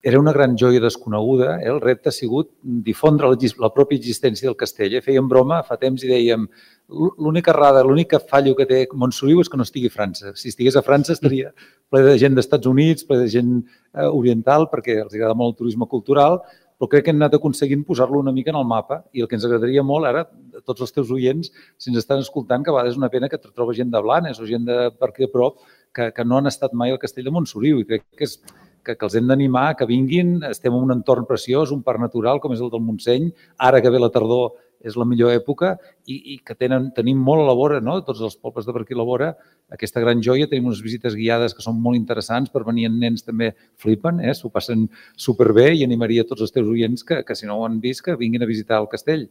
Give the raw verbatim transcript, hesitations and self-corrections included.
Era una gran joia desconeguda. El repte ha sigut difondre la pròpia existència del castell. Fèiem broma fa temps i dèiem l'única errada, l'únic fallo que té Montsoriu és que no estigui a França. Si estigués a França estaria ple de gent d'Estats Units, ple de gent oriental, perquè els agrada molt el turisme cultural, però crec que hem anat aconseguint posar-lo una mica en el mapa i el que ens agradaria molt ara, a tots els teus oients, si ens estan escoltant, que a vegades és una pena que trobes gent de Blanes o gent de per aquí a prop que no han estat mai al castell de Montsoriu i crec que és que els hem d'animar, que vinguin, estem en un entorn preciós, un parc natural com és el del Montseny, ara que ve la tardor és la millor època i que tenim molt a la vora, tots els pobles de per aquí a la vora, aquesta gran joia, tenim unes visites guiades que són molt interessants, per venir amb nens també flipen, s'ho passen superbé i animaria tots els teus oients que si no ho han vist que vinguin a visitar el castell.